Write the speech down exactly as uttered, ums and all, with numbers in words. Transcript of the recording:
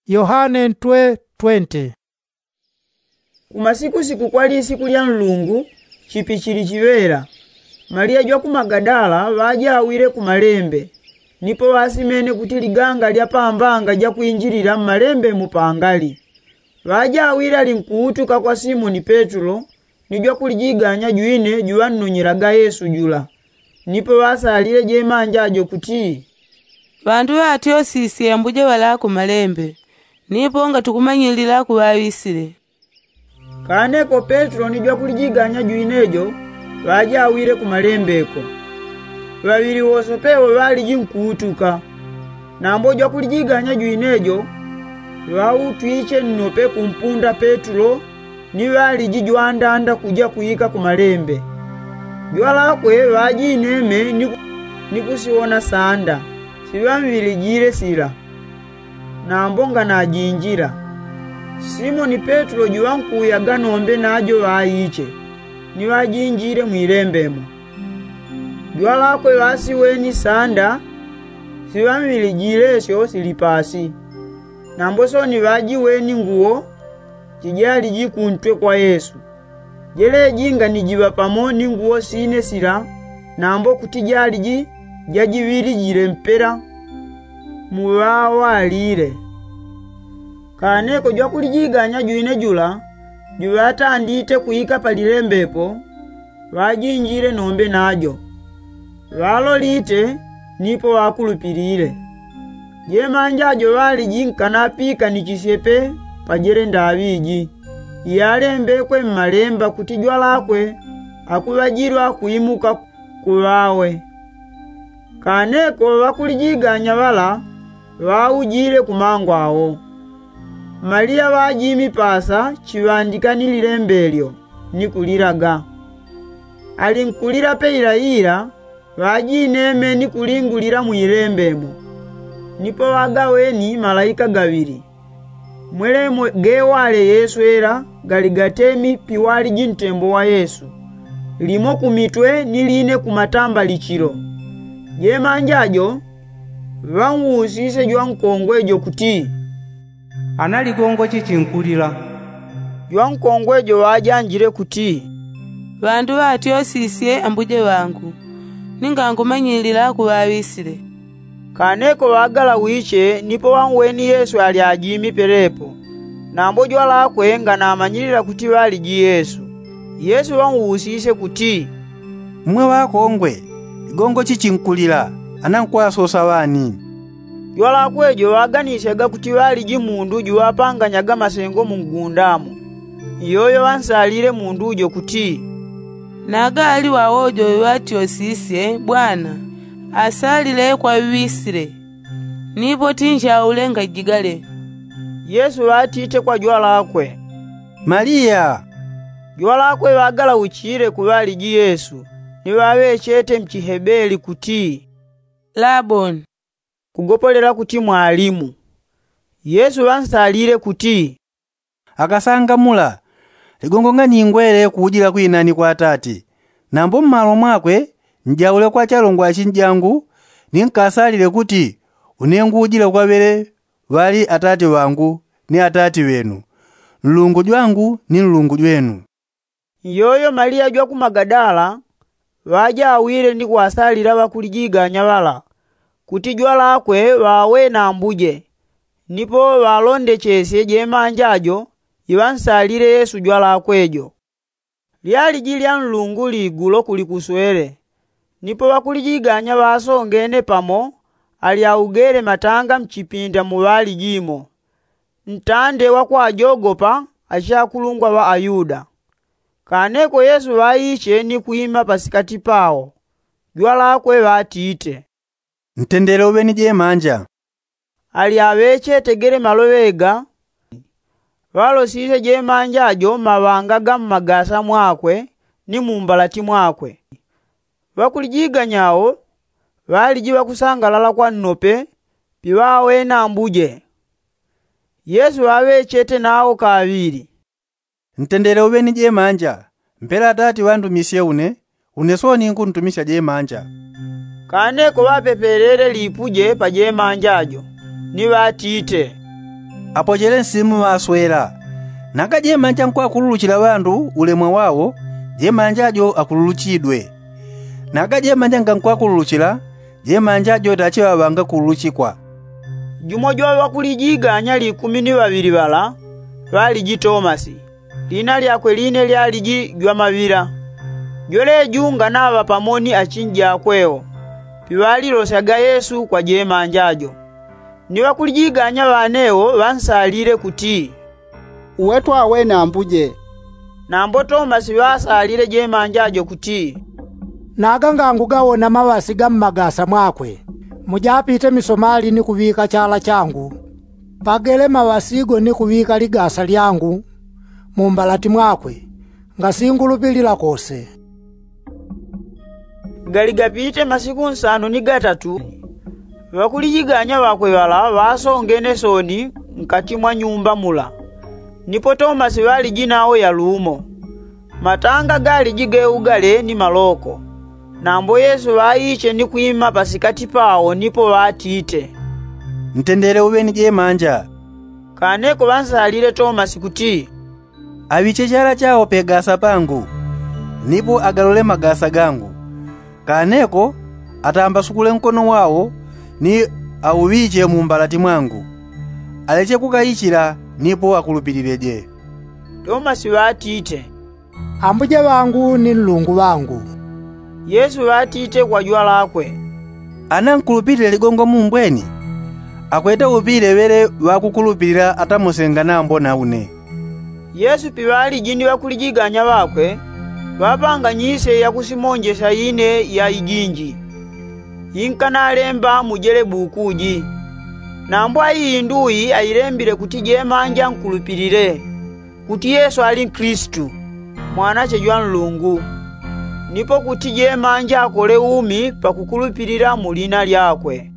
Yohane ntwe twenti. Kumasikusiku kwali isiku lya nlungu, chipichili chiŵela, maliya jwa ku magadala ŵajawile ku malembe, nipo ŵasimene kuti liganga lya pambanga jakwinjilila mmalembe mupangali. Ŵajawile alinkuutuka kwa simoni petulo, ni jwakulijiganya jwine juŵannonyelaga yesu jula. Nipo ŵasalile jemanja jo kuti, ŵandu ŵatyosisye ambuje ŵalaa ku malembe, nipo ngatukumanyilila kuŵaŵisile. Kaneko petulo ni jwakulijiganya jwine jo ŵajawile ku malembe ko. Ŵaŵili wose pewo ŵaliji nkuutuka. Nambo jwakulijiganya jwine jo ŵautwiche nnope kumpunda petulo, ni ŵaliji jwandanda kuja kwika ku malembe. Jwalakwe ŵajineme ni kusiwona sanda siŵamŵilijile sila. Nambo nganajinjila, simoni petulo juŵankuyaga nombe najo ŵaiche, ni ŵajinjile mwilembe mo. Jwalakwe ŵasiweni sanda siŵamŵilijile syo sili pasi. Nambo soni ŵajiweni nguwo jijaliji kuntwe kwa yesu, jeleji nganijiŵa pamo ni nguwo sine sila. Nambo kuti jaliji jajiŵilijile mpela muŵawalile. Kaneko jwakulijiganya jwine jula juŵatandite kwika palilembe po, ŵajinjile nombe najo. Ŵalolite nipo ŵakulupilile. Jemanja jo ŵaliji nkanapiikanichisye pe pajele ndaŵi iji, iyalembekwe mmalemba kuti jwalakwe akuŵajilwa kuimuka ku ŵawe. Kaneko ŵakulijiganya ŵala ŵaujile ku mango awo. Maliya ŵajimi pasa chiŵandika ni lilembe lyo ni kulilaga. Alinkulila pe ilaila ŵajineme ni kulingulila mwilembe mo. Nipo ŵagaweni malaika gaŵili, mwelemo gewale yeswela gali gatemi piwaliji ntembo wa yesu, limo kumitwe ni line kumatambalichilo. Jemanja jo ŵanwusisye jwankongwe jo kuti, ana ligongo chi chinkulila? Jwankongwe jo ŵajanjile kuti, ŵandu ŵatyosisye ambuje ŵangu, ni ngankumanyilila kuŵaŵisile. Kaneko ŵagalawiche nipo ŵanweni yesu ali ajimi pelepo. Nambo jwalakwe nganamanyilila kuti ŵaliji yesu. Yesu ŵanwusisye kuti, mmwe ŵakongwe, ligongo chi chinkulila? Ana nkwasosa ŵani? Jwalakwe jo ŵaganisyaga kuti ŵaliji mundu juŵapanganyaga masengo mu ngunda mo. Iyoyo ŵansalile mundu jo kuti, naga ali ŵawojo ŵatyosisye bwana, asalile kwaŵisile. Nipo tinjaule ngajigale. Yesu ŵatite kwa jwalakwe, maliya. Jwalakwe ŵagalauchile ku ŵaliji yesu, ni ŵaŵechete mchihebeli kuti, laboni, kugopolela kuti mwalimu. Yesu ŵansalile kuti, akasangamula, ligongo nganingwele kuujila kwinani kwa atati. Nambo mmalo mwakwe njaule kwa chalongwa achinjangu, ni nkasalile kuti une nguujila kwaŵele ŵali atati ŵangu ni atati ŵenu, nlungu jwangu ni nlungu jwenu. Iyoyo maliya jwa ku magadala ŵajawile ni kuŵasalila ŵakulijiganya ŵala kuti jwalakwe ŵawenambuje. Nipo ŵalondechesye jemanja jo iŵansalile yesu jwalakwe jo. Lyaliji lya nlungu ligulo kuli kuswele. Nipo ŵakulijiganya ŵasongene pamo ali augele matanga mchipinda mu ŵaliji mo, ntande wa kwajogopa achakulungwa ŵa ayuda. Kaneko yesu ŵaiche ni kwima pasikati pawo. Jwalakwe ŵatite, ntendele uŵe ni jemanja. Ali aŵechetegele maloŵe ga, ŵalosisye jemanja jo mmaŵanga ga mmagasa mwakwe ni mumbalati mwakwe. Ŵakulijiganya wo ŵaliji ŵakusangalala kwa nnope piŵawena ambuje. Yesu ŵaŵechete nawo kaŵili, ntendele uŵe ni jemanja. Mpela atati ŵandumisye une, une sooni nkuntumisya jemanja. Kaneko ŵapepelele lipuje pa jemanja jo ni ŵatite, Apochele nsimu ŵaswela. Naga jemanja nkwakululuchila ŵandu ulemwa wawo, jemanja jo akululuchidwe. Naga jemanja ngankwakululuchila, jemanja jo tachiŵaŵa ngakululuchikwa. Jumo jwa ŵakulijiganya likumi ni ŵaŵili ŵala ŵaliji tomasi, lina lyakwe line lyaliji jwamaŵila. Jweleju nganaŵa pamo ni achinji akwewo, piŵalilosyaga yesu kwa jemanja jo. Ni ŵakulijiganya ŵanewo ŵansalile kuti, uwe twawene ambuje. Nambo tomasi ŵasalile jemanja jo kuti, naga ngangugawona maŵasi ga mmagasa mwakwe, mujapite misomali ni kuŵika chala changu, pagele maŵasi go ni kuŵika ligasa lyangu mu mbalati mwakwe, ngasingulupilila kose. Gali gapite masiku nsanu ni gatatu, ŵakulijiganya ŵakwe ŵala ŵasongene soni nkati mwa nyumba mula, nipo tomasi ŵaliji nawo yalumo. Matanga galiji ge ugale ni maloko. Nambo yesu ŵaiche ni kwima pasikati pawo nipo ŵatite, ntendele uŵe ni jemanja. Kaneko ŵansalile tomasi kuti, aŵiche chala chawo pegasa pangu, nipo agalole magasa gangu. Kaneko atambasukule nkono wawo ni auŵiche mu mbalati mwangu, aleche kukaichila nipo akulupilileje. Tomasi ŵatite, ambuje ŵangu ni nlungu ŵangu. Yesu ŵatite kwa jwalakwe, ana nkulupilile ligongo mumbweni, akwete upile ŵele ŵakukulupilila atamosenga nambo na une. Yesu piŵaliji ni ŵakulijiganya ŵakwe, ŵapanganyisye yakusimonjesya ine ya ijinji, inkanalemba mujele buku ji. Nambo aiyinduyi ailembile kuti jemanja nkulupilile kuti yesu ali nkilisitu, mwanache jwa nlungu, nipo kuti jemanja akole umi pakukulupilila mu lina lyakwe.